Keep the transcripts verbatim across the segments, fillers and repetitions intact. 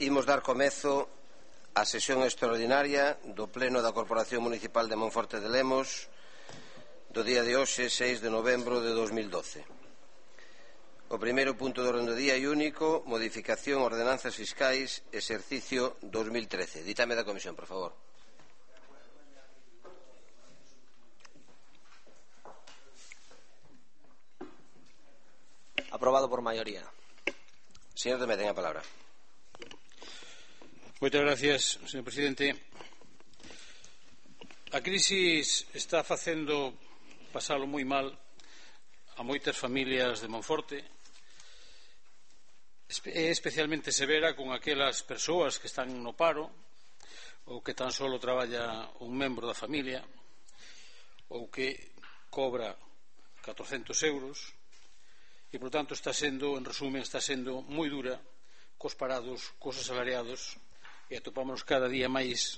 Imos dar comezo á sesión extraordinaria do Pleno da Corporación Municipal de Monforte de Lemos do día de hoxe, seis de novembro de dos mil doce. O primeiro punto do orden do día é único, modificación ordenanzas fiscais, exercicio dos mil trece. Ditame da Comisión, por favor. Aprobado por maioría. Señor Deme, ten a palabra. Moitas gracias, señor presidente. A crisis está facendo pasalo moi mal a moitas familias de Monforte. É especialmente severa con aquelas persoas que están no paro ou que tan solo traballa un membro da familia ou que cobra catorcentos euros e, por tanto, está sendo, en resumen, está sendo moi dura cos parados, cos asalariados, e atopamos cada día máis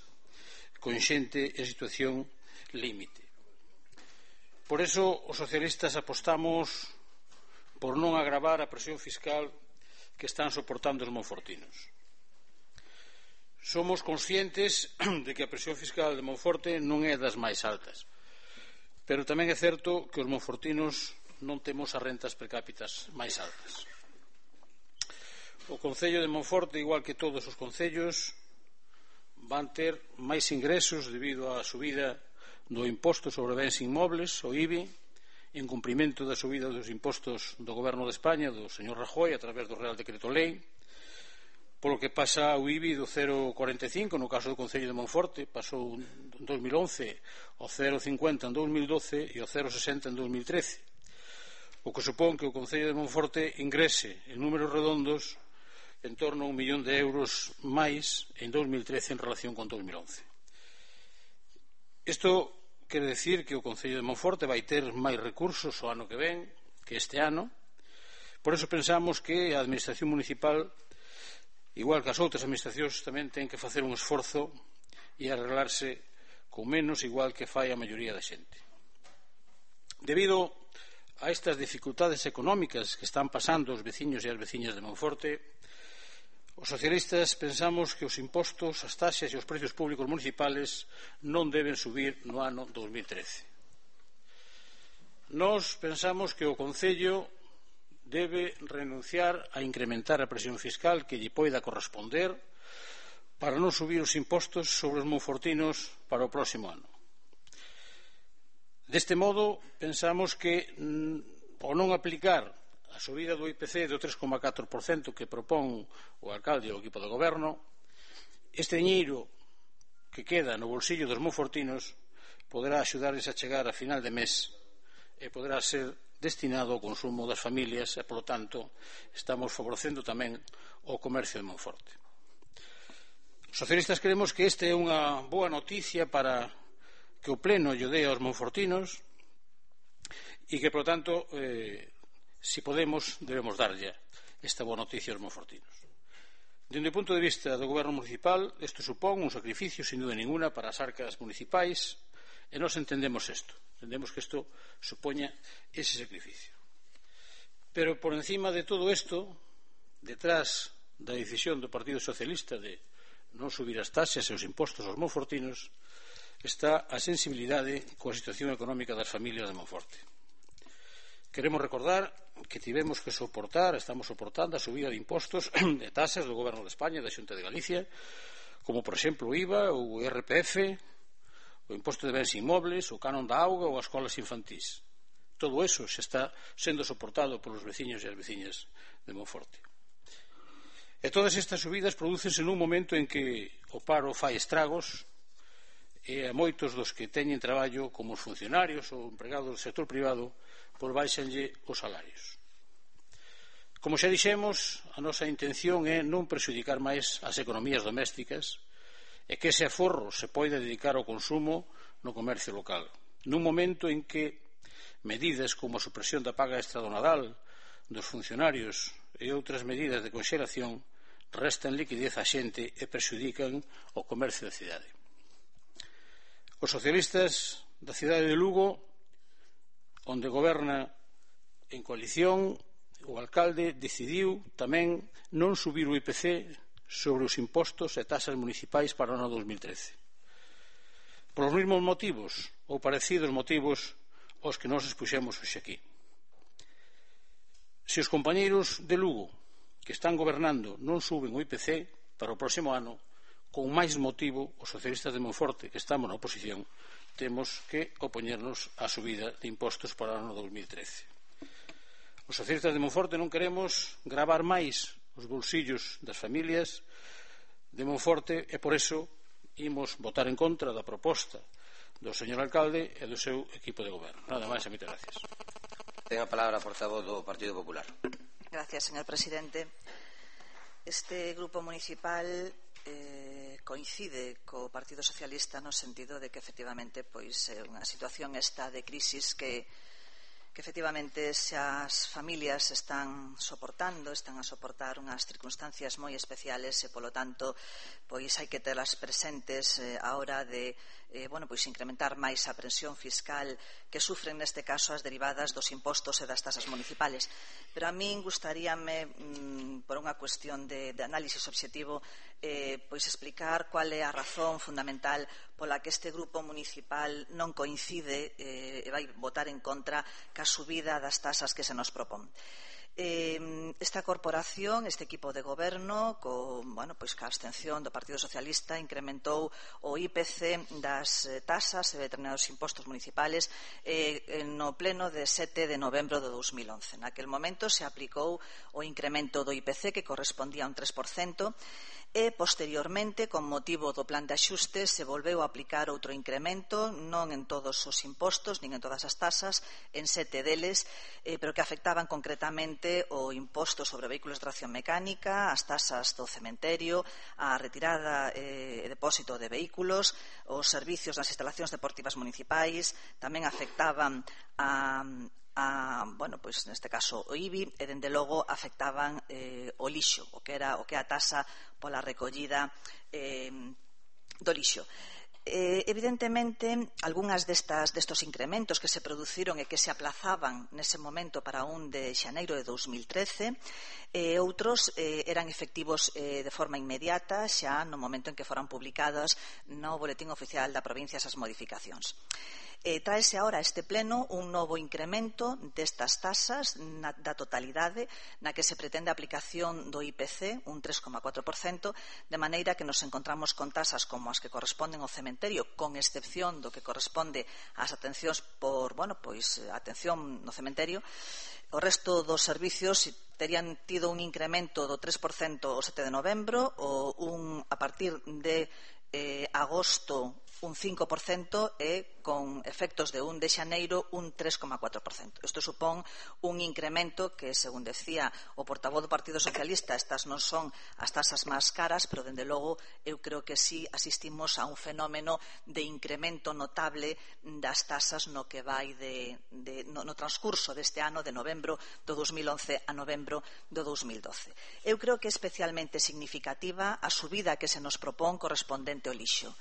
con xente en situación límite. Por eso, os socialistas apostamos por non agravar a presión fiscal que están soportando os monfortinos. Somos conscientes de que a presión fiscal de Monforte non é das máis altas, pero tamén é certo que os monfortinos non temos as rentas per cápitas máis altas. O Concello de Monforte, igual que todos os concellos, van ter máis ingresos debido á subida do imposto sobre bens inmobles, o I B I, en cumprimento da subida dos impostos do Goberno de España, do señor Rajoy, a través do Real Decreto Lei, polo que pasa o I B I do cero coma cuarenta e cinco no caso do Concello de Monforte, pasou en dos mil once ao cero coma cincuenta en dos mil doce e ao cero coma sesenta en dos mil trece, o que supón que o Concello de Monforte ingrese en números redondos en torno a un millón de euros máis en dos mil trece en relación con dos mil once. Isto quere decir que o Concello de Monforte vai ter máis recursos o ano que ven que este ano. Por eso pensamos que a Administración Municipal, igual que as outras administracións, tamén ten que facer un esforzo e arreglarse con menos, igual que fai a maioría da xente. Debido a estas dificultades económicas que están pasando os veciños e as veciñas de Monforte, os socialistas pensamos que os impostos, as taxas e os precios públicos municipales non deben subir no ano dos mil trece. Nós pensamos que o Concello debe renunciar a incrementar a presión fiscal que lle poida corresponder para non subir os impostos sobre os monfortinos para o próximo ano. Deste modo, pensamos que ao non aplicar a subida do I P C do tres coma catro por cento que propón o alcalde e o equipo de goberno, este diñeiro que queda no bolsillo dos monfortinos poderá axudarles a chegar a final de mes e poderá ser destinado ao consumo das familias e, polo tanto, estamos favorecendo tamén o comercio de Monforte. Os socialistas creemos que esta é unha boa noticia para que o Pleno lle dé aos monfortinos e que, polo tanto, eh, si podemos, debemos darlle esta boa noticia aos monfortinos. Dende o punto de vista do Goberno Municipal, isto supón un sacrificio, sin duda ninguna, para as arcas municipais, e nós entendemos isto. Entendemos que isto supoña ese sacrificio. Pero, por encima de todo isto, detrás da decisión do Partido Socialista de non subir as taxas e os impostos aos monfortinos, está a sensibilidade coa situación económica das familias de Monforte. Queremos recordar que tivemos que soportar, estamos soportando a subida de impostos e taxas do Goberno de España e da Xunta de Galicia, como, por exemplo, o I V A, o I R P F, o imposto de bens inmobles, o canon da auga ou as escolas infantís. Todo eso se está sendo soportado polos veciños e as veciñas de Monforte. E todas estas subidas prodúcense nun momento en que o paro fai estragos e a moitos dos que teñen traballo, como os funcionarios ou empregados do sector privado, por baixanlle os salarios. Como xa dixemos, a nosa intención é non prexudicar máis as economías domésticas e que ese aforro se poida dedicar ao consumo no comercio local, nun momento en que medidas como a supresión da paga extra do Nadal dos funcionarios e outras medidas de conxelación restan liquidez á xente e prexudican o comercio da cidade. Os socialistas da cidade de Lugo, onde goberna en coalición, o alcalde decidiu tamén non subir o I P C sobre os impostos e taxas municipais para o ano dos mil trece. Por os mesmos motivos ou parecidos motivos aos que nos expuxemos hoxe aquí. Se os compañeiros de Lugo que están gobernando non suben o I P C para o próximo ano, con máis motivo os socialistas de Monforte que estamos na oposición temos que opoñernos á subida de impostos para o ano dos mil trece. Os socialistas de Monforte non queremos gravar máis os bolsillos das familias de Monforte e por eso imos votar en contra da proposta do señor alcalde e do seu equipo de goberno. Nada máis e moitas gracias. Ten a palabra a portavoz do Partido Popular. Gracias, señor presidente. Este grupo municipal eh, coincide co Partido Socialista no sentido de que efectivamente pois é unha situación esta de crisis que que efectivamente xa as familias están soportando, están a soportar unhas circunstancias moi especiales e, polo tanto, pois hai que telas presentes eh, a hora de eh, bueno, pois incrementar máis a presión fiscal que sufren neste caso as derivadas dos impostos e das tasas municipales. Pero a min gustaríame, mm, por unha cuestión de, de análisis obxectivo, eh, pois explicar cual é a razón fundamental pola que este grupo municipal non coincide eh, e vai votar en contra ca subida das tasas que se nos propón. Eh, esta corporación, este equipo de goberno, co, bueno, pois, ca abstención do Partido Socialista, incrementou o I P C das eh, tasas e determinados impostos municipales eh, no pleno de sete de novembro de dos mil once. Naquel momento se aplicou o incremento do I P C que correspondía a un tres por cento e, posteriormente, con motivo do plan de axuste, se volveu a aplicar outro incremento, non en todos os impostos, nin en todas as tasas, en sete deles, eh, pero que afectaban concretamente o imposto sobre vehículos de tracción mecánica, as tasas do cementerio, a retirada e eh, depósito de vehículos, os servicios nas instalacións deportivas municipais, tamén afectaban a A, bueno, pois neste caso o I B I e dende logo afectaban eh, o lixo, o que era o que a tasa pola recollida eh, do lixo. Eh, evidentemente, algunhas destas, destos incrementos que se produciron e que se aplazaban nese momento para un de xaneiro de dos mil trece, e outros eh, eran efectivos eh, de forma inmediata xa no momento en que foran publicadas no Boletín Oficial da Provincia esas modificacións. Eh, traese ahora a este pleno un novo incremento destas tasas na, da totalidade na que se pretende a aplicación do I P C, un tres coma catro por cento, de maneira que nos encontramos con tasas como as que corresponden ao cementerio, con excepción do que corresponde ás atencións por, bueno, pois, atención no cementerio. O resto dos servicios terían tido un incremento do tres por cento o sete de novembro, ou un, a partir de eh, agosto un cinco por cento e con efectos de un de xaneiro un tres coma catro por cento. Isto supón un incremento que, según decía o portavoz do Partido Socialista, estas non son as tasas máis caras, pero, dende logo, eu creo que sí asistimos a un fenómeno de incremento notable das tasas no que vai de, de, no, no transcurso deste ano, de novembro do dos mil once a novembro do dos mil doce. Eu creo que é especialmente significativa a subida que se nos propón correspondente ao lixo.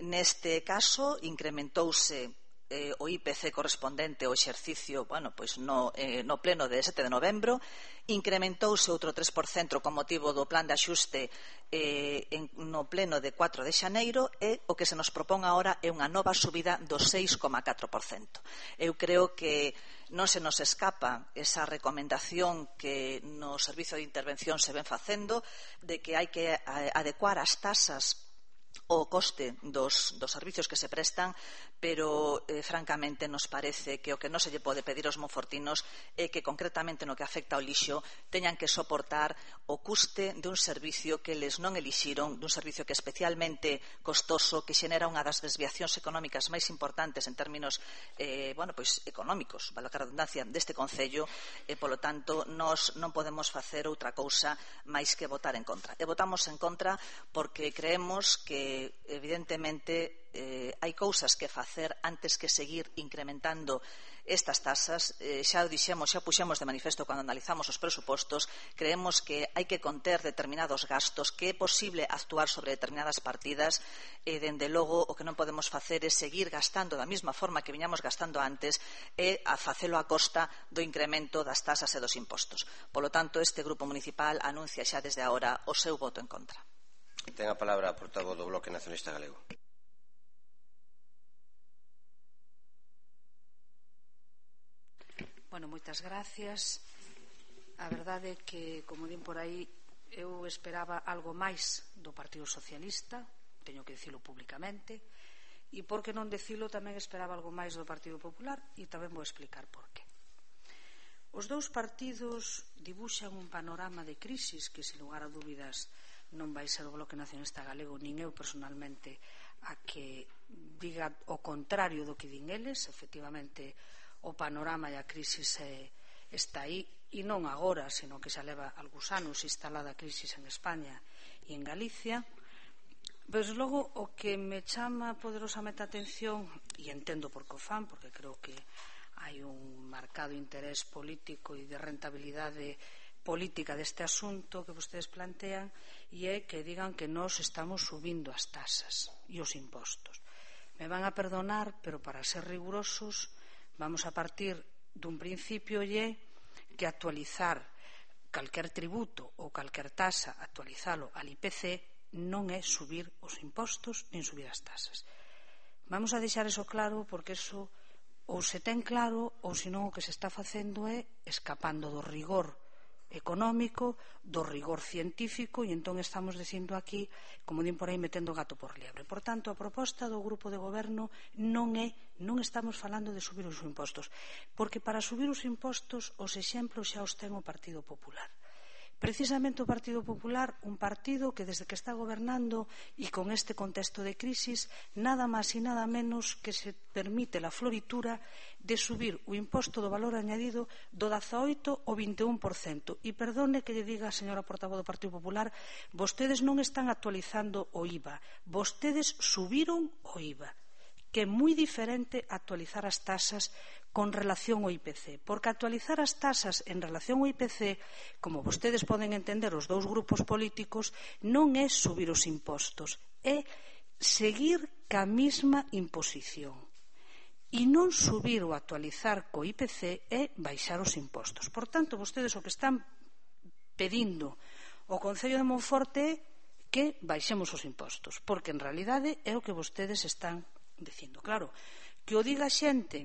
Neste caso, incrementouse eh, o I P C correspondente ao exercicio, bueno, pois no, eh, no pleno de sete de novembro, incrementouse outro tres por cento con motivo do plan de axuste eh, en, no pleno de catro de xaneiro, e o que se nos propón agora é unha nova subida do seis coma catro por cento. Eu creo que non se nos escapa esa recomendación que no Servizo de Intervención se ven facendo de que hai que adecuar as tasas o coste dos, dos servicios que se prestan, pero eh, francamente nos parece que o que non se lle pode pedir aos monfortinos é que, concretamente no que afecta ao lixo, teñan que soportar o custe dun servicio que les non elixiron, dun servicio que é especialmente costoso, que xenera unha das desviacións económicas máis importantes en términos eh, bueno, pois, económicos, vale a redundancia, deste Concello, e, polo tanto, nós non podemos facer outra cousa máis que votar en contra. E votamos en contra porque creemos que que evidentemente eh, hai cousas que facer antes que seguir incrementando estas tasas. Eh, xa o dixemos, xa puxemos de manifesto cando analizamos os presupostos. Creemos que hai que conter determinados gastos, que é posible actuar sobre determinadas partidas e, dende logo, o que non podemos facer é seguir gastando da mesma forma que viñamos gastando antes e a facelo a costa do incremento das tasas e dos impostos. Polo tanto, este Grupo Municipal anuncia xa desde agora o seu voto en contra. Ten a palabra a portavoz do Bloque Nacionalista Galego. Bueno, moitas gracias. A verdade é que, como din por aí, eu esperaba algo máis do Partido Socialista, teño que dicilo públicamente, e por que non dicilo tamén esperaba algo máis do Partido Popular, e tamén vou explicar por qué. Os dous partidos dibuxan un panorama de crisis que, sen lugar a dúbidas, non vai ser o Bloque Nacionalista Galego nin eu personalmente a que diga o contrario do que din eles. Efectivamente, o panorama e a crisis eh, está aí, e non agora, sino que xa leva algúns anos instalada a crisis en España e en Galicia. Pero logo o que me chama poderosamente a atención, e entendo por que o fan, porque creo que hai un marcado interés político e de rentabilidade política deste asunto que vostedes plantean, e é que digan que nós estamos subindo as tasas e os impostos. Me van a perdonar, pero para ser rigurosos vamos a partir dun principio e é que actualizar calquer tributo ou calquer tasa, actualizalo al I P C, non é subir os impostos nin subir as tasas. Vamos a deixar eso claro, porque eso ou se ten claro ou senón o que se está facendo é escapando do rigor económico, do rigor científico, e entón estamos dicindo aquí, como din por aí, metendo gato por liebre. Por tanto, a proposta do grupo de goberno non é, non estamos falando de subir os impostos, porque para subir os impostos os exemplos xa os ten o Partido Popular. Precisamente o Partido Popular, un partido que desde que está gobernando e con este contexto de crisis, nada máis e nada menos que se permite la floritura de subir o imposto do valor añadido do dezaoito ao vinte e un por cento. E perdone que lle diga, señora portavoz do Partido Popular, vostedes non están actualizando o I V A, vostedes subiron o I V A, que é moi diferente actualizar as tasas con relación ao I P C, porque actualizar as tasas en relación ao I P C, como vostedes poden entender os dous grupos políticos, non é subir os impostos, é seguir ca mesma imposición. E non subir ou actualizar co I P C é baixar os impostos. Por tanto, vostedes o que están pedindo ao Concello de Monforte é que baixemos os impostos, porque en realidade é o que vostedes están dicindo. Claro, que o diga xente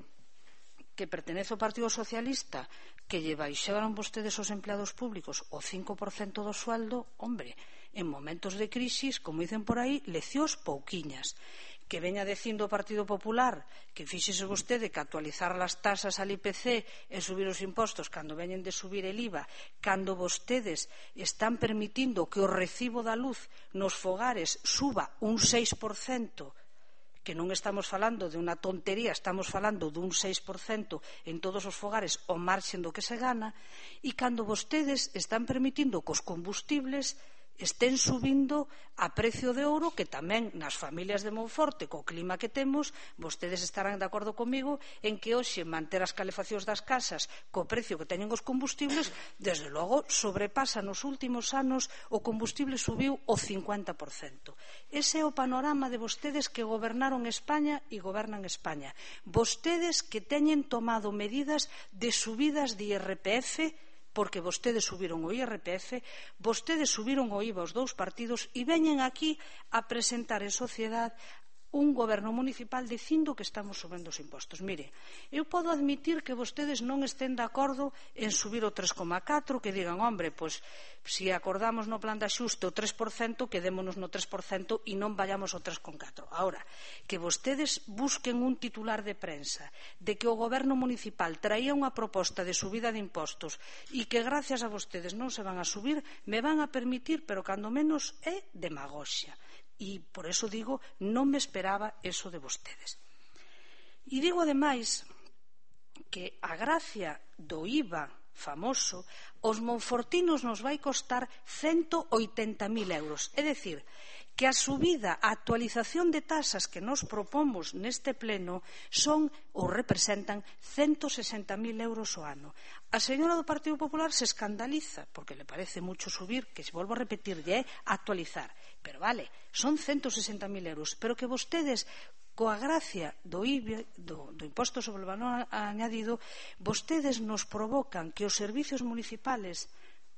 que pertenece ao Partido Socialista, que lle baixaron vostedes os empleados públicos o cinco por cento do sueldo, hombre, en momentos de crisis, como dicen por aí, leccións pouquiñas. Que veña dicindo o Partido Popular que fíxese vostede que actualizar as tasas al I P C e subir os impostos cando veñen de subir el I V A, cando vostedes están permitindo que o recibo da luz nos fogares suba un seis por cento, que non estamos falando de unha tontería, estamos falando dun seis por cento en todos os fogares ao marxen do que se gana, e cando vostedes están permitindo que os combustibles estén subindo a precio de ouro, que tamén nas familias de Monforte, co clima que temos, vostedes estarán de acordo comigo en que hoxe manter as calefaccións das casas co precio que teñen os combustibles, desde logo sobrepasa nos últimos anos o combustible subiu o cincuenta por cento. Ese é o panorama de vostedes que gobernaron España e gobernan España. Vostedes que teñen tomado medidas de subidas de I R P F, porque vostedes subiron o I R P F, vostedes subiron o I V A aos dous partidos e veñen aquí a presentar en sociedade un goberno municipal dicindo que estamos subindo os impostos. Mire, eu podo admitir que vostedes non estén de acordo en subir o tres coma catro, que digan, hombre, pois, se acordamos no plan de axuste o tres por cento, quedémonos no tres por cento e non vayamos ao tres coma catro. Ahora, que vostedes busquen un titular de prensa de que o goberno municipal traía unha proposta de subida de impostos e que gracias a vostedes non se van a subir, me van a permitir, pero cando menos é demagoxia. E por eso digo, non me esperaba eso de vostedes. E digo ademais que a gracia do I V A famoso, os monfortinos nos vai costar ciento oitenta mil euros. É dicir, que a subida, a actualización de tasas que nos propomos neste pleno son ou representan ciento sesenta mil euros ao ano. A señora do Partido Popular se escandaliza porque le parece mucho subir, que se volvo a repetir, é actualizar. Pero vale, son ciento sesenta mil euros, pero que vostedes, coa gracia do I B I, do, do imposto sobre o valor añadido, vostedes nos provocan que os servicios municipales,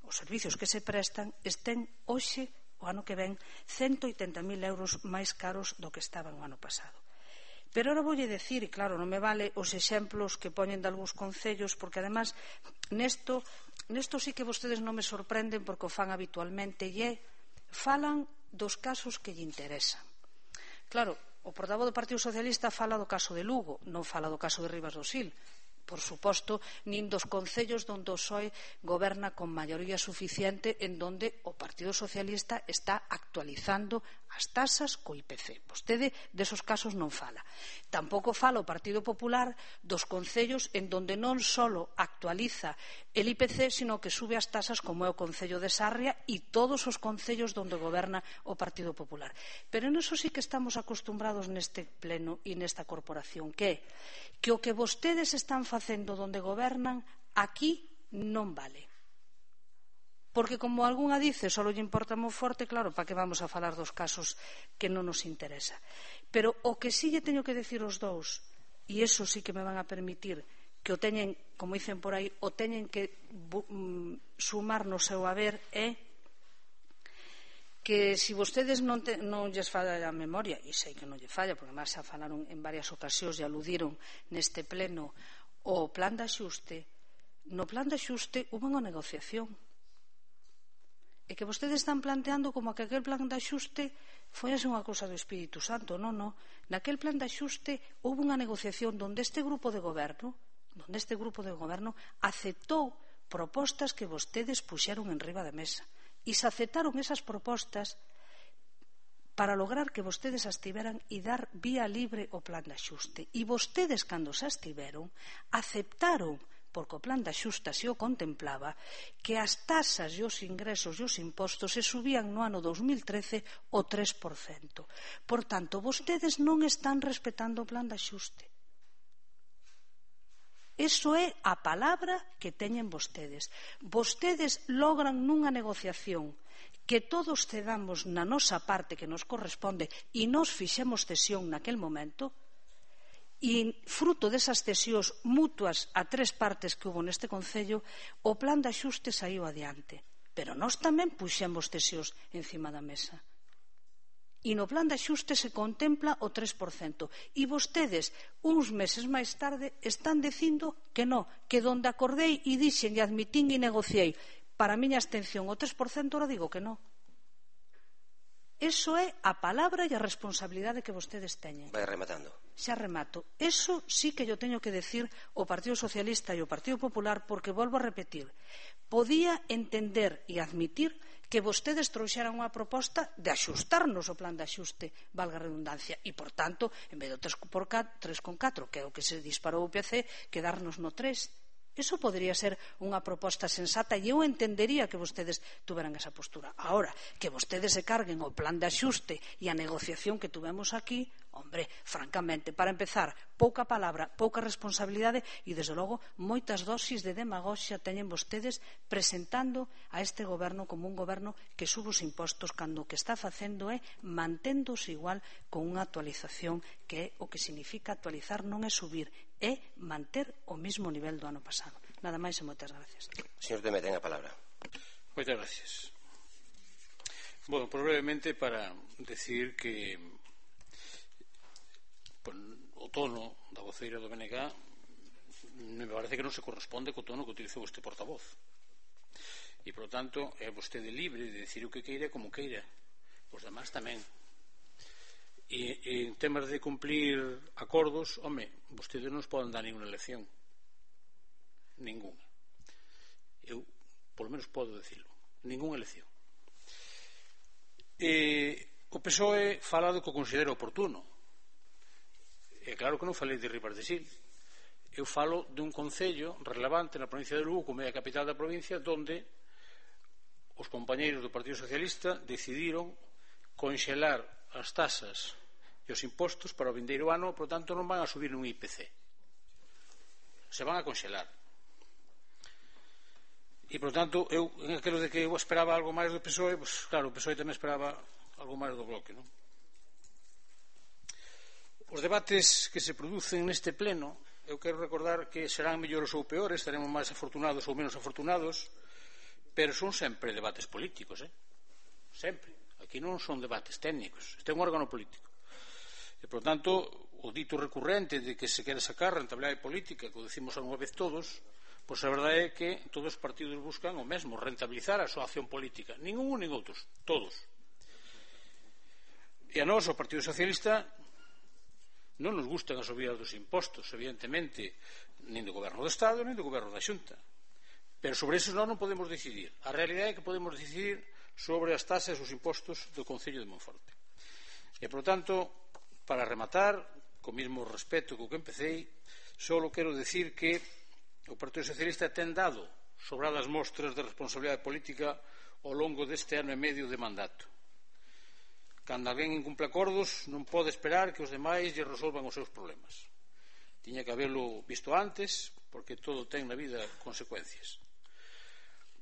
os servicios que se prestan, estén hoxe, o ano que ven, ciento oitenta mil euros máis caros do que estaban o ano pasado. Pero ahora voulle decir, e claro, non me vale os exemplos que poñen de algúns concellos, porque además nesto, nesto sí que vostedes non me sorprenden porque o fan habitualmente e é, falan dos casos que lle interesan. Claro, o portavoz do Partido Socialista fala do caso de Lugo, non fala do caso de Ribas do Sil, por suposto, nin dos concellos onde o P S O E goberna con maioría suficiente, en donde o Partido Socialista está actualizando as tasas co I P C. Vostede desos casos non fala. Tampouco fala o Partido Popular dos concellos en donde non só actualiza el I P C, sino que sube as tasas como é o Concello de Sarria e todos os concellos onde goberna o Partido Popular. Pero en eso sí que estamos acostumbrados neste pleno e nesta corporación, que é que o que vostedes están facendo onde gobernan aquí non vale. Porque, como algunha dice, só lle importa moi forte, claro, para que vamos a falar dos casos que non nos interesa. Pero o que sí lle teño que decir os dous, e iso sí que me van a permitir que o teñen, como dicen por aí, o teñen que sumar no seu haber, é que se vostedes non, te, non lles falla a memoria, e sei que non lle falla, porque máis xa falaron en varias ocasións e aludiron neste pleno o plan de axuste, no plan de axuste hubo unha negociación. E que vostedes están planteando como que aquel plan de axuste foi unha cousa do Espírito Santo. Non, non. Naquel plan de axuste houve unha negociación onde este grupo de goberno, onde este grupo de goberno aceptou propostas que vostedes puxeron en riba da mesa. E se aceptaron esas propostas para lograr que vostedes as tiveran e dar vía libre ao plan de axuste. E vostedes, cando se as tiveron, aceptaron, porque o plan de axuste se o contemplaba, que as tasas e os ingresos e os impostos se subían no ano dos mil trece o tres por cento. Por tanto, vostedes non están respetando o plan de axuste. Eso é a palabra que teñen vostedes. Vostedes logran nunha negociación que todos cedamos na nosa parte que nos corresponde e nos fixemos cesión naquel momento, e fruto desas cesións mutuas a tres partes que hubo neste Concello, o plan de axuste saiu adiante. Pero nós tamén puxemos cesións encima da mesa. E no plan de axuste se contempla o tres por cento. E vostedes, uns meses máis tarde, están dicindo que non, que donde acordei e dixen e admitín e negociei para a miña abstención o tres por cento, ora digo que non. Eso é a palabra e a responsabilidade que vostedes teñen. Vai rematando. Xa remato. Eso sí que yo teño que decir o Partido Socialista e o Partido Popular, porque volvo a repetir, podía entender e admitir que vostedes trouxeran unha proposta de axustarnos o plan de axuste, valga a redundancia, e, por tanto, en vez do tres coma catro, que é o que se disparou o I P C, quedarnos no tres. Eso podría ser unha proposta sensata e eu entendería que vostedes tuveran esa postura. Ahora, que vostedes se carguen o plan de axuste e a negociación que tuvemos aquí, hombre, francamente, para empezar, pouca palabra, pouca responsabilidade e, desde logo, moitas dosis de demagoxia teñen vostedes presentando a este goberno como un goberno que sube os impostos cando o que está facendo é manténdose igual con unha actualización que é o que significa actualizar, non é subir, é manter o mesmo nivel do ano pasado. Nada máis e moitas gracias. Señor Teme, ten a palabra. Moitas gracias. Bueno, pues brevemente para decir que pues, o tono da voceira do B N G me parece que non se corresponde co tono que utilizou este portavoz. E, por lo tanto, é vostede libre de decir o que queira como queira. Os demás tamén. E en temas de cumplir acordos, home, vostedes non nos poden dar ninguna lección. Ninguna. Eu, por lo menos, podo decirlo. Ninguna lección. E o P S O E fala do que considero oportuno. E claro que non falei de Ribas de Sil. Eu falo dun concello relevante na provincia de Lugo, como é a capital da provincia, donde os compañeiros do Partido Socialista decidiron conxelar as tasas e os impostos para o vindeiro ano, por tanto non van a subir nun I P C, se van a conxelar. E, por tanto, eu, en aquilo de que eu esperaba algo máis do P S O E, pues, claro, o P S O E tamén esperaba algo máis do Bloque, non? Os debates que se producen neste pleno, eu quero recordar que serán mellores ou peores, estaremos máis afortunados ou menos afortunados, pero son sempre debates políticos, eh? Sempre. Aquí non son debates técnicos, este é un órgano político. E, por tanto, o dito recurrente de que se quere sacar rentabilidade política, que o decimos unha vez todos, pois a verdade é que todos os partidos buscan o mesmo, rentabilizar a súa acción política. Nin un nin outros, todos. E a nós, o Partido Socialista, non nos gustan as subidas dos impostos, evidentemente, nin do Goberno do Estado, nin do Goberno da Xunta. Pero sobre eso nós non podemos decidir. A realidade é que podemos decidir sobre as tasas e os impostos do Concello de Monforte. E, por tanto, para rematar, co mesmo respeto co que empecéi, só quero decir que o Partido Socialista ten dado sobradas mostras de responsabilidade política ao longo deste ano e medio de mandato. Cando alguén incumple acordos, non pode esperar que os demais lle resolvan os seus problemas. Tiña que habelo visto antes, porque todo ten na vida consecuencias.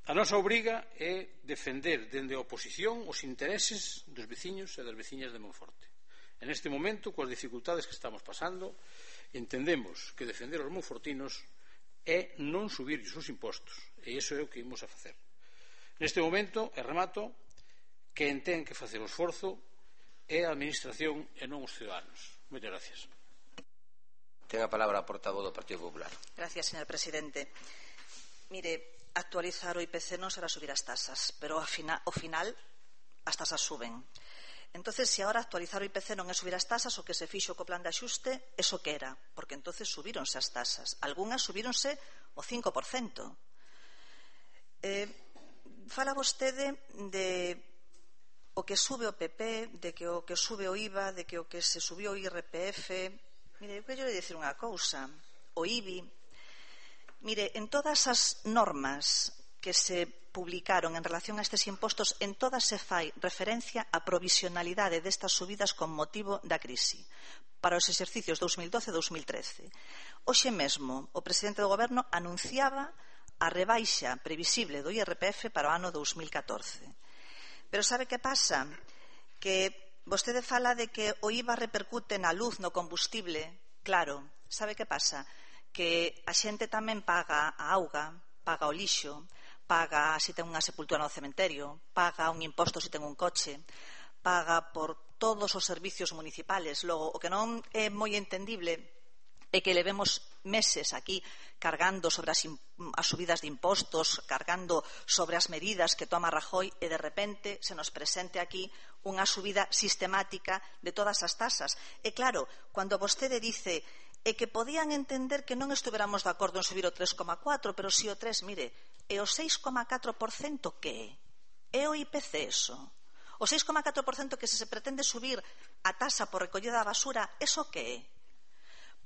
A nosa obriga é defender dende a oposición os intereses dos veciños e das veciñas de Monforte. En este momento, coas dificultades que estamos pasando, entendemos que defender os monfortinos é non subir os impostos, e iso é o que imos a facer. Neste momento, e remato, quen ten que facer o esforzo é a Administración e non os ciudadanos. Moitas gracias. Ten a palabra a portavoz do Partido Popular. Gracias, señor presidente. Mire, actualizar o I P C non será subir as tasas, pero ao final as tasas suben. Entonces, se agora actualizar o I P C non é subir as tasas, o que se fixo co plan de axuste, eso que era, porque entonces subíronse as tasas. Algúnas subíronse o cinco por cento. Eh, fala vostede de o que sube o P P, de que o que sube o I V A, de que o que se subiu o I R P F. Mire, eu quero dicir unha cousa. O I B I. Mire, en todas as normas que se publicaron en relación a estes impostos, en todas se fai referencia á provisionalidade destas subidas con motivo da crise para os exercicios dous mil doce e dous mil trece. Hoxe mesmo, o presidente do Goberno anunciaba a rebaixa previsible do I R P F para o ano dous mil catorce. Pero sabe que pasa? Que vostede fala de que o I V A repercute na luz, no combustible. Claro, sabe que pasa? Que a xente tamén paga a auga, paga o lixo, paga se ten unha sepultura no cementerio, paga un imposto se ten un coche, paga por todos os servicios municipales. Logo, o que non é moi entendible é que levemos meses aquí cargando sobre as, as subidas de impostos, cargando sobre as medidas que toma Rajoy, e de repente se nos presente aquí unha subida sistemática de todas as tasas. E claro, cando vostede dice e que podían entender que non estuveramos de acordo en subir o tres coma catro, pero si o tres, mire, e o seis coma catro por cento que é? É o I P C eso? O seis coma catro por cento que se se pretende subir a tasa por recollida da basura, eso que é?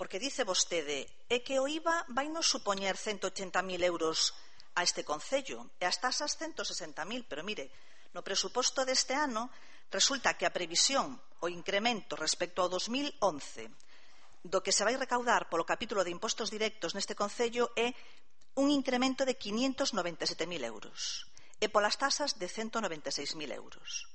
Porque dice vostede, é que o I V A vai nos supoñer ciento ochenta mil euros a este concello e as tasas ciento sesenta mil, pero mire, no presuposto deste ano resulta que a previsión, o incremento respecto ao dos mil once, do que se vai recaudar polo capítulo de impostos directos neste concello é un incremento de quinientos noventa e sete mil euros e polas tasas de ciento noventa e seis mil euros.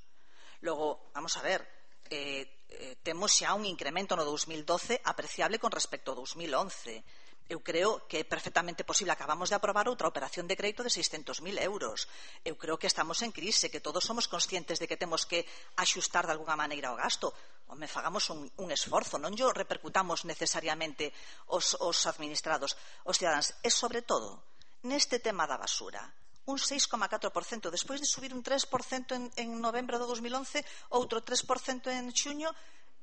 Logo, vamos a ver, eh, eh, temos xa un incremento no dous mil doce apreciable con respecto ao dous mil once. Eu creo que é perfectamente posible. Acabamos de aprobar outra operación de crédito de seiscentos mil euros. Eu creo que estamos en crise, que todos somos conscientes de que temos que axustar de alguna maneira o gasto. Home, fagamos un, un esforzo, non yo repercutamos necesariamente os, os administrados, os cidadáns. E, sobre todo, neste tema da basura, un seis coma catro por cento, despois de subir un tres por cento en, en novembro de dos mil once, outro tres por cento en xuño,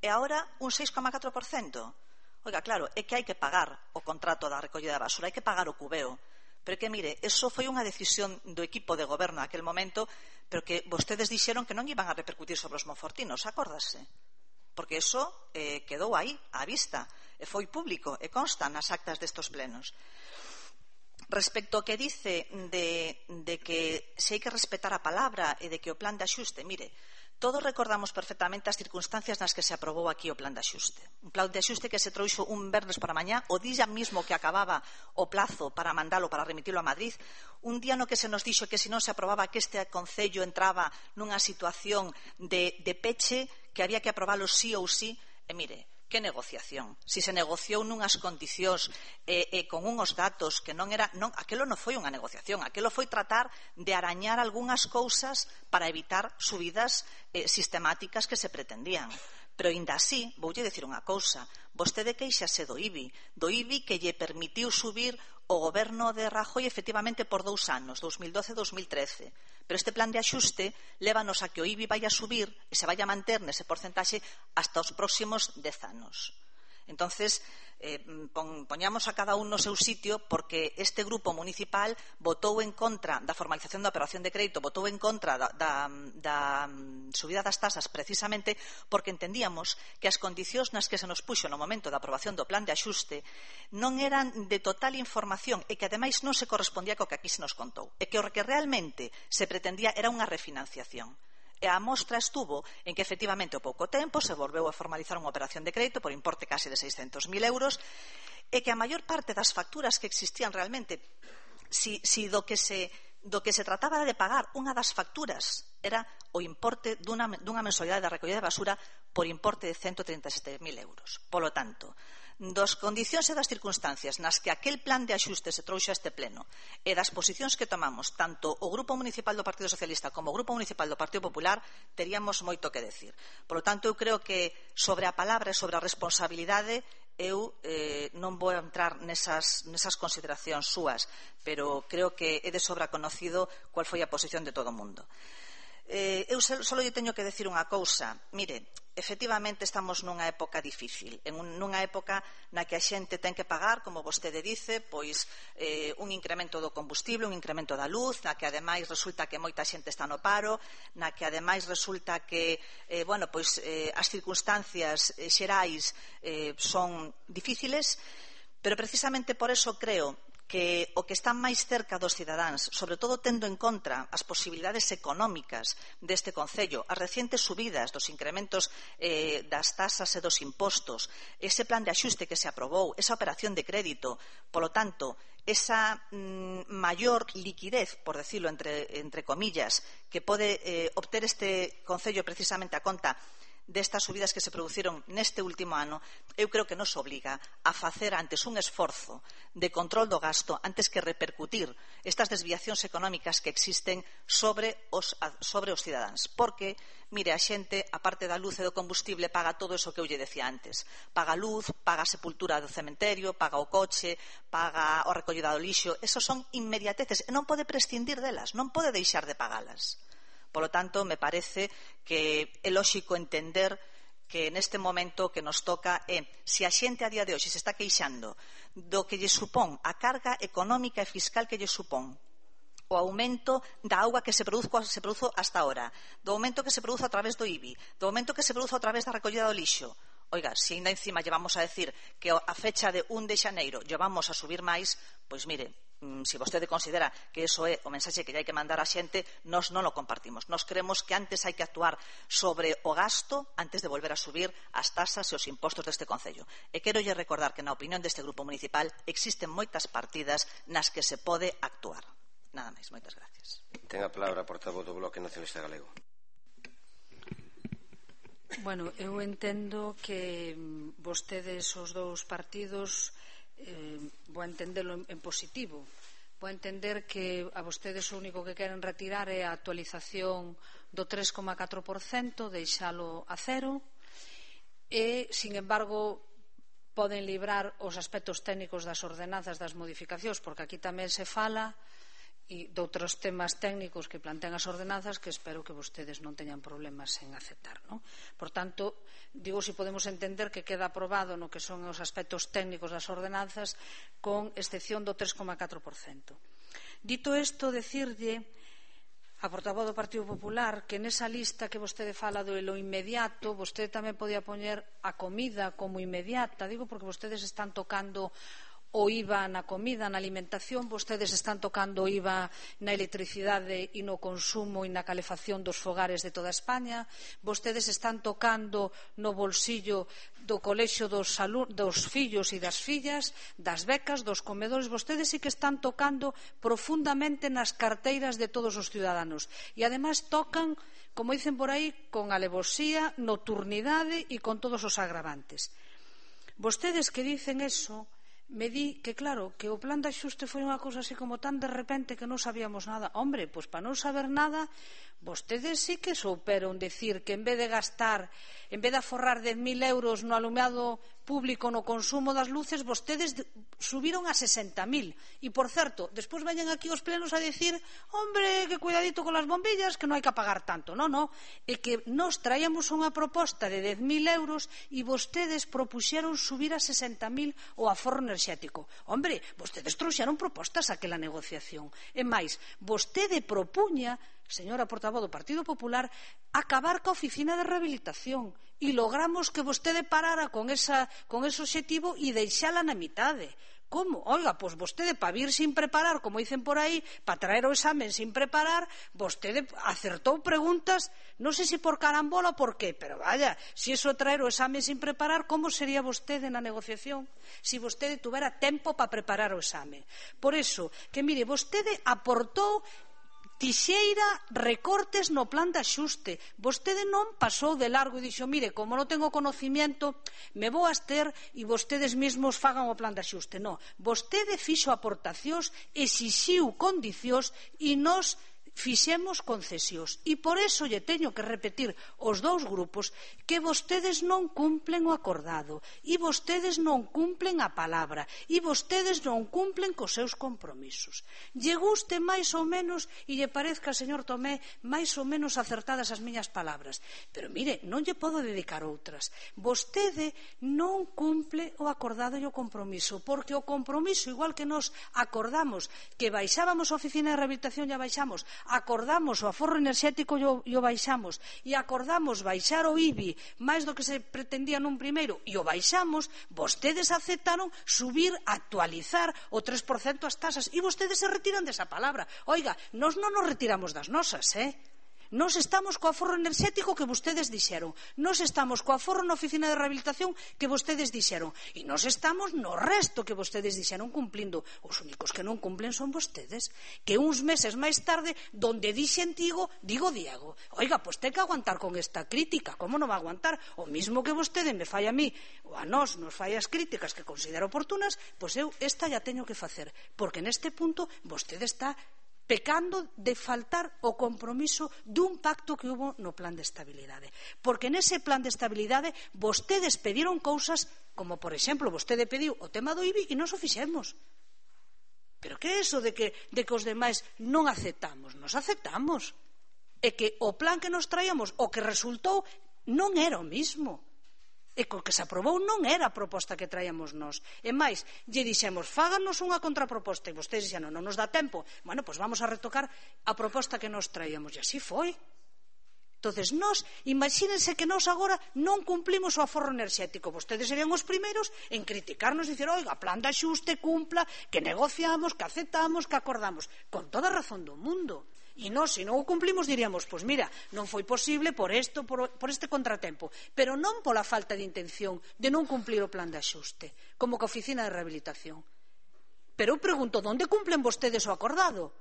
e agora un seis coma catro por cento. Oiga, claro, é que hai que pagar o contrato da recollida da basura, hai que pagar o cubeo. Pero é que, mire, eso foi unha decisión do equipo de goberno naquel momento, pero que vostedes dixeron que non iban a repercutir sobre os monfortinos, acórdase? Porque eso eh, quedou aí, á vista, e foi público, e consta nas actas destos plenos. Respecto ao que dice de, de que se hai que respetar a palabra e de que o plan de axuste, mire, Todos recordamos perfectamente as circunstancias nas que se aprobou aquí o plan de axuste. Un plan de axuste que se trouxo un vernes para mañá, o día mismo que acababa o plazo para mandalo, para remitilo a Madrid, un día no que se nos dixo que se non se aprobaba que este Concello entraba nunha situación de, de peche, que había que aprobalo sí ou sí, e mire, que negociación. Si se negociou nunhas condicións e, e con unhos datos que non era... Non, aquelo non foi unha negociación, aquelo foi tratar de arañar algunhas cousas para evitar subidas eh, sistemáticas que se pretendían. Pero, inda así, voulle dicir unha cousa. Vostede queixase do I B I, do I B I que lle permitiu subir o goberno de Rajoy efectivamente por dous anos, dos mil doce e dos mil trece. Pero este plan de axuste lévanos a que o I B I vai a subir e se vai a manter nese porcentaxe hasta os próximos dez anos. Entonces, eh, pon, poñamos a cada un no seu sitio, porque este grupo municipal votou en contra da formalización da operación de crédito, votou en contra da, da, da subida das tasas precisamente porque entendíamos que as condicións nas que se nos puxo no momento da aprobación do plan de axuste non eran de total información e que ademais non se correspondía co que aquí se nos contou, e que o que realmente se pretendía era unha refinanciación. E a mostra estuvo en que efectivamente ao pouco tempo se volveu a formalizar unha operación de crédito por importe case de seiscentos mil euros e que a maior parte das facturas que existían realmente, si, si do que se do que se trataba de pagar unha das facturas era o importe dunha, dunha mensualidade de recollida de basura por importe de ciento treinta e sete mil euros. Polo tanto, das condicións e das circunstancias nas que aquel plan de axuste se trouxe a este pleno e das posicións que tomamos tanto o Grupo Municipal do Partido Socialista como o Grupo Municipal do Partido Popular, teríamos moito que decir. Por lo tanto, eu creo que sobre a palabra e sobre a responsabilidade eu eh, non vou entrar nesas, nesas consideracións súas, pero creo que é de sobra conocido cual foi a posición de todo o mundo. Eh, eu só lle teño que decir unha cousa. Mire, efectivamente estamos nunha época difícil, en un, nunha época na que a xente ten que pagar, como vostede dice, pois eh, un incremento do combustible, un incremento da luz, na que ademais resulta que moita xente está no paro, na que ademais resulta que eh, bueno, pois, eh, as circunstancias eh, xerais eh, son difíciles, pero precisamente por eso creo que o que está máis cerca dos cidadáns, sobre todo tendo en contra as posibilidades económicas deste Concello, as recientes subidas dos incrementos eh, das tasas e dos impostos, ese plan de axuste que se aprobou, esa operación de crédito, polo tanto, esa mm, maior liquidez, por decirlo entre, entre comillas, que pode eh, obter este Concello precisamente a conta destas subidas que se produciron neste último ano, eu creo que nos obliga a facer antes un esforzo de control do gasto antes que repercutir estas desviacións económicas que existen sobre os, sobre os cidadáns. Porque, mire, a xente, a parte da luz e do combustible, paga todo eso que eu lle decía antes. Paga luz, paga a sepultura do cementerio, paga o coche, paga o recollida do lixo. Esos son inmediateces e non pode prescindir delas, non pode deixar de pagalas. Polo tanto, me parece que é lóxico entender que neste momento que nos toca é, se a xente a día de hoxe se está queixando do que lle supón a carga económica e fiscal que lle supón o aumento da auga que se produzo, se produzo hasta ahora, do aumento que se produzo a través do I B I, do aumento que se produzo a través da recollida do lixo. Oiga, se ainda encima llevamos a decir que a fecha de un de xaneiro llevamos a subir máis, pois mire, se vostede considera que eso é o mensaxe que hai que mandar á xente, nós non o compartimos. Nós creemos que antes hai que actuar sobre o gasto antes de volver a subir as tasas e os impostos deste Concello. E quero lle recordar que na opinión deste grupo municipal existen moitas partidas nas que se pode actuar. Nada máis, moitas gracias. Ten a palabra a portavoz do Bloque Nacionalista Galego. Bueno, eu entendo que vostedes, os dous partidos, eh, vou entendelo en, en positivo. Vou entender que a vostedes o único que queren retirar é a actualización do tres coma catro por cento, deixalo a cero, e, sin embargo, poden librar os aspectos técnicos das ordenanzas das modificacións, porque aquí tamén se fala e doutros temas técnicos que plantean as ordenanzas que espero que vostedes non teñan problemas en aceptar, non? Por tanto, digo, si podemos entender que queda aprobado no que son os aspectos técnicos das ordenanzas con excepción do tres coma catro por cento. Dito isto, decirlle a portavoz do Partido Popular que nesa lista que vostede fala do lo inmediato, vostede tamén podía poñer a comida como inmediata, digo porque vostedes están tocando o I V A na comida, na alimentación, vostedes están tocando o I V A na electricidade e no consumo e na calefacción dos fogares de toda España, vostedes están tocando no bolsillo do colexio dos, dos fillos e das fillas, das becas, dos comedores, vostedes sí que están tocando profundamente nas carteiras de todos os ciudadanos e ademais tocan, como dicen por aí, con alevosía, nocturnidade e con todos os agravantes. Vostedes que dicen eso, me di que claro, que o plan de axuste foi unha cousa así como tan de repente que non sabíamos nada. Hombre, pois para non saber nada, vostedes sí que souperon decir que en vez de gastar, en vez de aforrar dez mil euros no alumeado público, no consumo das luces, vostedes subiron a sesenta mil. E, por certo, despois veñen aquí os plenos a decir, hombre, que cuidadito con las bombillas, que non hai que pagar tanto. Non, non, é que nos traíamos unha proposta de dez mil euros e vostedes propuxeron subir a sesenta mil o aforro enerxético. Hombre, vostedes trouxeron propostas aquela negociación. E máis, vostede propuña, señora portavoz do Partido Popular, acabar ca oficina de rehabilitación e logramos que vostede parara con, esa, con ese obxectivo e deixala na mitade. Como? Oiga, pois vostede para vir sin preparar, como dicen por aí, para traer o examen sin preparar, vostede acertou preguntas, non sei se por carambola ou por qué, pero vaya, se iso traer o examen sin preparar, como sería vostede na negociación se vostede tuvera tempo para preparar o examen? Por iso, que mire, vostede aportou tixeira recortes no plan de axuste. Vostede non pasou de largo e dixo, mire, como non tengo conocimiento, me vou abster e vostedes mesmos fagan o plan de axuste. Non, vostede fixo aportacións, exixiu condicións e nos fixemos concesións. E por iso lle teño que repetir os dous grupos que vostedes non cumplen o acordado e vostedes non cumplen a palabra e vostedes non cumplen cos seus compromisos. Lle guste máis ou menos e lle parezca, señor Tomé, máis ou menos acertadas as miñas palabras, pero mire, non lle podo dedicar outras. Vostede non cumple o acordado e o compromiso, porque o compromiso, igual que nos acordamos que baixábamos a oficina de rehabilitación e a baixamos, acordamos o aforro enerxético e o baixamos e acordamos baixar o I B I máis do que se pretendía nun primeiro e o baixamos, vostedes aceptaron subir, actualizar o tres por cento as tasas e vostedes se retiran desa palabra. Oiga, nós non nos retiramos das nosas, eh? Nos estamos co aforro enerxético que vostedes dixeron, nos estamos co aforro na oficina de rehabilitación que vostedes dixeron e nos estamos no resto que vostedes dixeron cumplindo. Os únicos que non cumplen son vostedes, que uns meses máis tarde, donde dixen digo, digo Diego. Oiga, pois ten que aguantar con esta crítica. Como non va a aguantar? O mismo que vostede me fai a mí ou a nós nos fai as críticas que considero oportunas, pois eu esta ya teño que facer, porque neste punto vostede está pecando de faltar o compromiso dun pacto que hubo no plan de estabilidade. Porque nese plan de estabilidade vostedes pediron cousas como, por exemplo, vostede pediu o tema do I B I e nós o fixemos. Pero que é iso de que, de que os demais non aceptamos? Nos aceptamos. É que o plan que nos traíamos, o que resultou, non era o mismo. E co que se aprobou non era a proposta que traíamos nós. E máis, lle dixemos, fáganos unha contraproposta, e vostedes dixeron, non nos dá tempo. Bueno, pois vamos a retocar a proposta que nos traíamos. E así foi. Entonces, nós, imagínense que nós agora non cumplimos o aforro enerxético. Vostedes serían os primeiros en criticarnos e dicir, oiga, plan de axuste, cumpla, que negociamos, que aceptamos, que acordamos. Con toda a razón do mundo. E nós, se non o cumplimos, diríamos, pois mira, non foi posible por isto, por, por este contratempo, pero non pola falta de intención de non cumplir o plan de axuste, como que a oficina de rehabilitación. Pero eu pregunto, onde cumplen vostedes o acordado?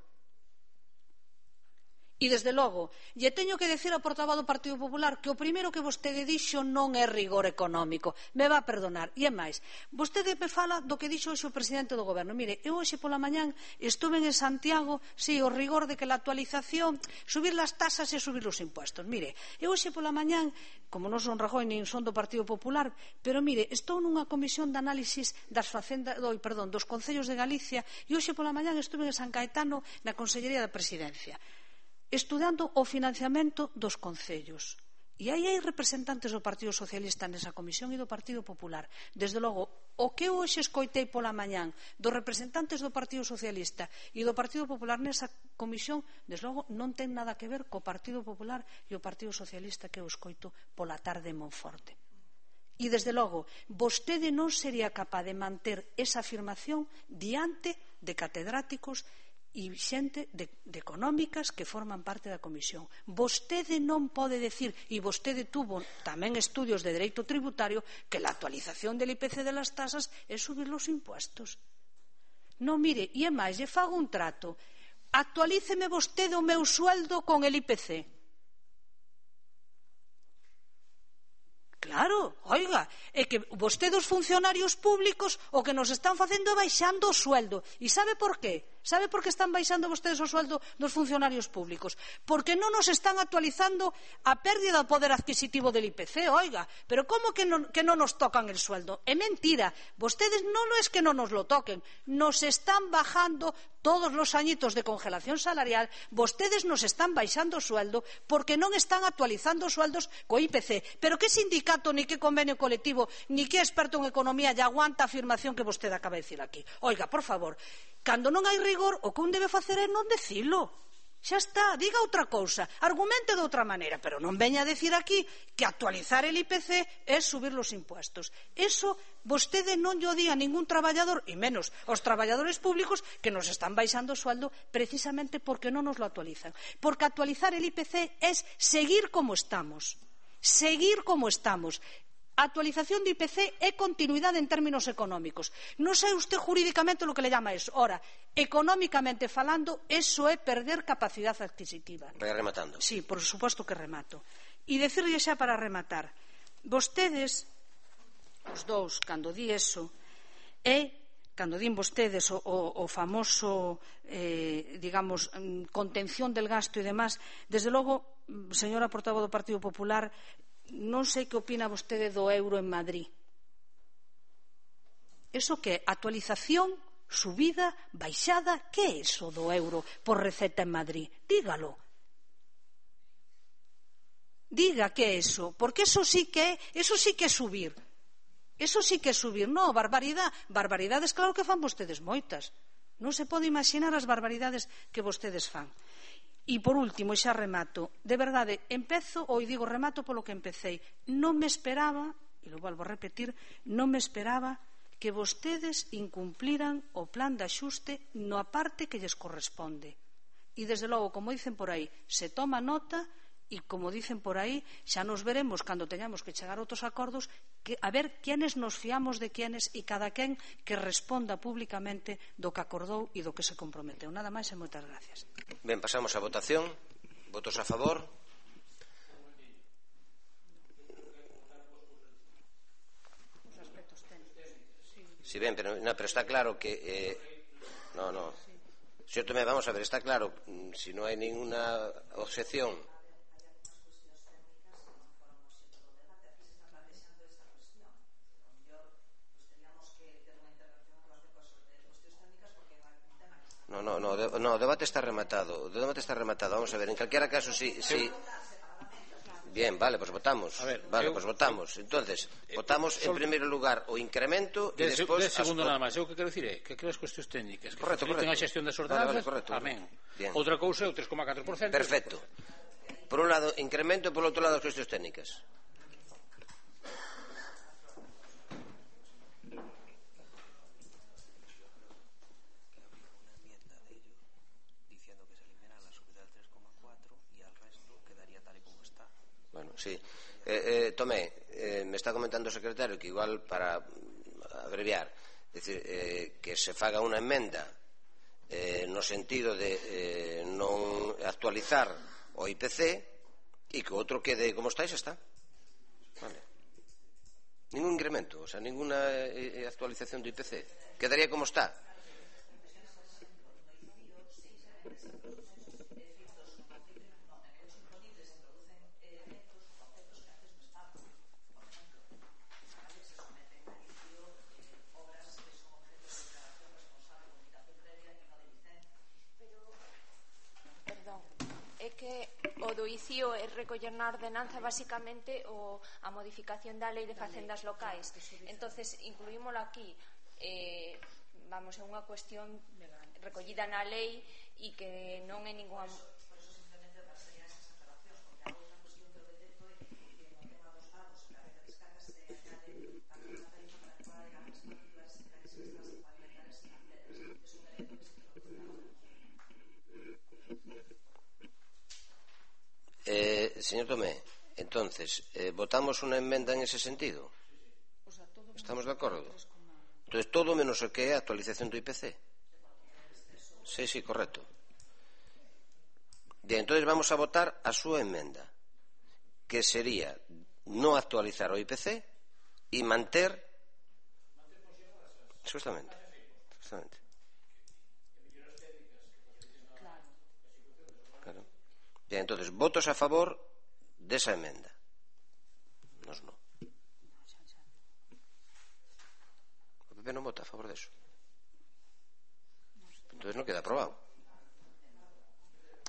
E, desde logo, lle teño que decir ao portavoz do Partido Popular que o primeiro que vostede dixo non é rigor económico. Me va a perdonar. E é máis, vostede me fala do que dixo hoxe o presidente do Goberno. Mire, eu hoxe pola mañán estuve en Santiago, sí, o rigor de que la actualización, subir las tasas e subir os impuestos. Mire, eu hoxe pola mañán, como non son Rajoy nin son do Partido Popular, pero mire, estou nunha comisión de análisis das facendas, do, perdón, dos concellos de Galicia e hoxe pola mañán estuve en San Caetano na Consellería da Presidencia, estudando o financiamento dos concellos. E aí hai representantes do Partido Socialista nesa comisión e do Partido Popular. Desde logo, o que eu hoxe escoitei pola mañán dos representantes do Partido Socialista e do Partido Popular nesa comisión, desde logo, non ten nada que ver co Partido Popular e o Partido Socialista que eu escoito pola tarde en Monforte. E, desde logo, vostede non sería capaz de manter esa afirmación diante de catedráticos e xente de, de económicas que forman parte da comisión. Vostede non pode decir, e vostede tuvo tamén estudios de dereito tributario, que la actualización del I P C de las tasas é subir los impuestos. Non, mire, e é máis, lle fago un trato. Actualíceme vostede o meu sueldo con el I P C. Claro, oiga, é que vostedes os funcionarios públicos o que nos están facendo é baixando o sueldo. E sabe por qué? Sabe por que están baixando vostedes o sueldo dos funcionarios públicos? Porque non nos están actualizando a pérdida do poder adquisitivo del I P C, oiga. Pero como que non, que non nos tocan el sueldo? É mentira. Vostedes non es que non nos lo toquen. Nos están bajando todos los añitos de congelación salarial. Vostedes nos están baixando o sueldo porque non están actualizando os sueldos co I P C. Pero que sindicato, ni que convenio colectivo, ni que experto en economía lle aguanta a afirmación que vostede acaba de dicir aquí? Oiga, por favor, cando non hai rigor, o que un debe facer é non decilo. Xa está, diga outra cousa, argumente de outra maneira, pero non veña a decir aquí que actualizar el I P C é subir los impuestos. Eso vostede non lle di a ningún traballador, e menos aos traballadores públicos, que nos están baixando o sueldo precisamente porque non nos lo actualizan. Porque actualizar el I P C é seguir como estamos. Seguir como estamos. A actualización de I P C é continuidade en términos económicos. Non sei usted jurídicamente lo que le llama eso. Ora, económicamente falando, eso é perder capacidade adquisitiva. Vai rematando. Sí, por suposto que remato. E decirlle xa para rematar, vostedes, os dous, cando di eso, é, cando din vostedes o, o, o famoso, eh, digamos, contención del gasto e demás, desde logo, señora portavoz do Partido Popular, non sei que opina vostede do euro en Madrid. Eso que actualización, subida, baixada, que é eso do euro por receta en Madrid? Dígalo. Diga que é eso, porque eso sí que é, eso sí que é subir. Eso sí que é subir. Non, barbaridade, barbaridades claro que fan vostedes moitas. Non se pode imaginar as barbaridades que vostedes fan. E, por último, xa remato, de verdade, empezo, ou digo remato polo que empecéi, non me esperaba, e lo volvo a repetir, non me esperaba que vostedes incumpliran o plan de axuste na parte que lles corresponde. E, desde logo, como dicen por aí, se toma nota e, como dicen por aí, xa nos veremos cando teñamos que chegar a outros acordos, que, a ver quienes nos fiamos de quienes e cada quen que responda públicamente do que acordou e do que se comprometeu. Nada máis e moitas gracias. Ben, pasamos a votación. Votos a favor. Sí, ben, pero, no, pero está claro que... Eh, no, no. Señor Tomé, vamos a ver, está claro, si no hay ninguna objeción... No, no, no, de, no, o debate está rematado. O debate está rematado. Vamos a ver, en calquera caso, si... si... Bien, vale, pues votamos. A ver, vale, eu, pues votamos. Entonces, eh, votamos en primeiro lugar o incremento e despois... De segundo nada máis. Eu que quero dicir é que aquelas cuestións técnicas que correcto, facilitan a xestión das ordenanzas, vale, vale, correcto, amén. Bien. Outra cousa é o tres coma catro por cento. Perfecto. Por un lado, incremento, e por outro lado, as cuestións técnicas. Bueno, sí. Eh, eh, Tomé, eh, me está comentando o secretario que igual para abreviar, es decir, eh, que se faga unha emenda eh, no sentido de eh, non actualizar o I P C e que o outro quede como está e xa está. Vale. Ningún incremento, o sea, ninguna eh, actualización do I P C. Quedaría como está. O do I C I O é recoller na ordenanza basicamente o, a modificación da lei de facendas locais. Entonces incluímolo aquí, eh, vamos, é unha cuestión recollida na lei e que non é ninguna... señor Tomé, entonces, eh, ¿votamos una enmenda en ese sentido? ¿Estamos de acordo? Entonces, todo menos o que é a actualización do I P C. Sí, sí, correcto. Bien, entonces vamos a votar a súa enmenda, que sería no actualizar o I P C e manter... Justamente. Justamente. Claro. Bien, entonces, votos a favor desa enmenda. Nos no. O P P non vota a favor deso. Entonces non queda aprobado.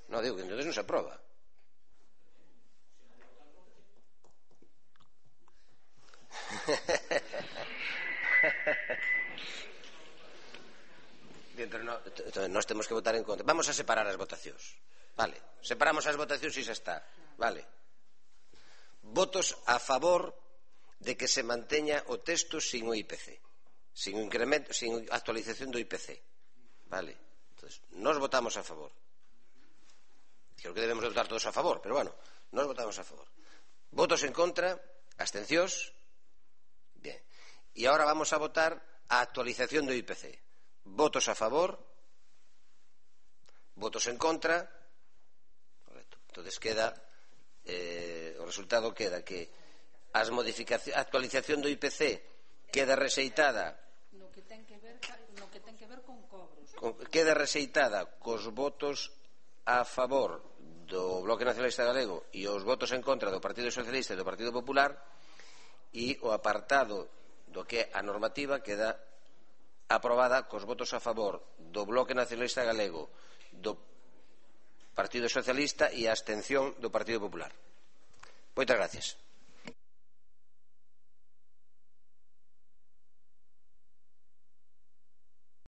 No, digo que entonces non se aproba. Entonces, no, entonces nós temos que votar en contra. Vamos a separar as votacións. Vale, separamos as votacións e xa está. Vale. Votos a favor de que se manteña o texto sin o I P C, sin incremento, sin actualización do I P C. Vale. Entonces, nós votamos a favor. Creo que debemos votar todos a favor, pero bueno, nós votamos a favor. Votos en contra, abstencións. Bien. E agora vamos a votar a actualización do I P C. Votos a favor, votos en contra. Correcto. Entonces queda eh, o resultado queda que as modificacións, a actualización do I P C queda rexeitada no que ten que ver no que ten que ver con cobros. Con, queda rexeitada cos votos a favor do Bloque Nacionalista Galego e os votos en contra do Partido Socialista e do Partido Popular, e o apartado do que a normativa queda aprobada cos votos a favor do Bloque Nacionalista Galego, do Partido Socialista e a abstención do Partido Popular. Moitas gracias.